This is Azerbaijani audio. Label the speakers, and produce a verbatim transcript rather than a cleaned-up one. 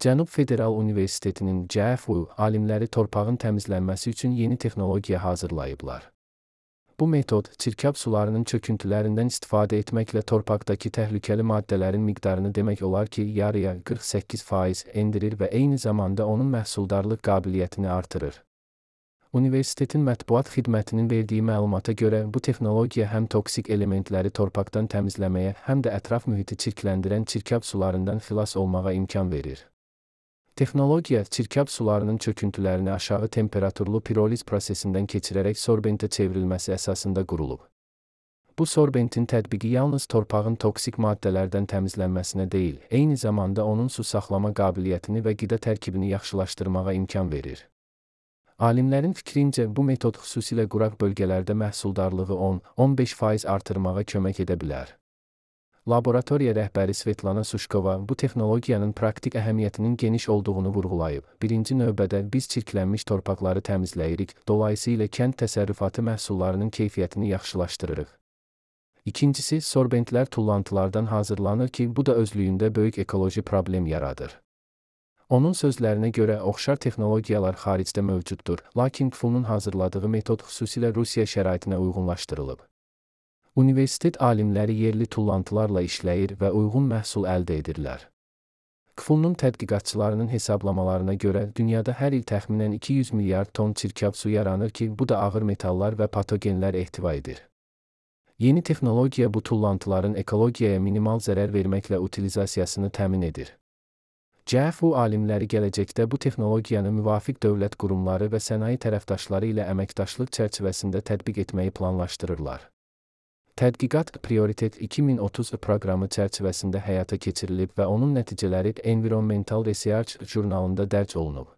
Speaker 1: Cənub Federal Universitetinin C F U alimləri torpağın təmizlənməsi üçün yeni texnologiya hazırlayıblar. Bu metod, çirkab sularının çöküntülərindən istifadə etməklə torpaqdakı təhlükəli maddələrin miqdarını demək olar ki, yarıya qırx səkkiz faiz endirir və eyni zamanda onun məhsuldarlıq qabiliyyətini artırır. Universitetin mətbuat xidmətinin verdiyi məlumata görə, bu texnologiya həm toksik elementləri torpaqdan təmizləməyə, həm də ətraf mühiti çirkləndirən çirkab sularından xilas olmağa imkan verir. Texnologiya, çirkab sularının çöküntülərini aşağı temperaturlu piroliz prosesindən keçirərək sorbentə çevrilməsi əsasında qurulub. Bu sorbentin tətbiqi yalnız torpağın toksik maddələrdən təmizlənməsinə deyil, eyni zamanda onun su saxlama qabiliyyətini və qida tərkibini yaxşılaşdırmağa imkan verir. Alimlərin fikrincə, bu metod xüsusilə quraq bölgələrdə məhsuldarlığı on on beş faiz artırmağa kömək edə bilər. Laboratoriya rəhbəri Svetlana Suşkova bu texnologiyanın praktik əhəmiyyətinin geniş olduğunu vurğulayıb. Birinci növbədə biz çirklənmiş torpaqları təmizləyirik, dolayısıyla kənd təsərrüfatı məhsullarının keyfiyyətini yaxşılaşdırırıq. İkincisi, sorbentlər tullantılardan hazırlanır ki, bu da özlüyündə böyük ekoloji problem yaradır. Onun sözlərinə görə oxşar texnologiyalar xaricdə mövcuddur, lakin K F U-nun hazırladığı metod xüsusilə Rusiya şəraitinə uyğunlaşdırılıb. Universitet alimləri yerli tullantılarla işləyir və uyğun məhsul əldə edirlər. K F U-nun tədqiqatçılarının hesablamalarına görə dünyada hər il təxminən iki yüz milyard ton çirkab su yaranır ki, bu da ağır metallar və patogenlər ehtiva edir. Yeni texnologiya bu tullantıların ekologiyaya minimal zərər verməklə utilizasiyasını təmin edir. C F U alimləri gələcəkdə bu texnologiyanı müvafiq dövlət qurumları və sənaye tərəfdaşları ilə əməkdaşlıq çərçivəsində tətbiq etməyi planlaşdırırlar. Tədqiqat Prioritet iki min otuz proqramı çərçivəsində həyata keçirilib və onun nəticələri Environmental Research jurnalında dərc olunub.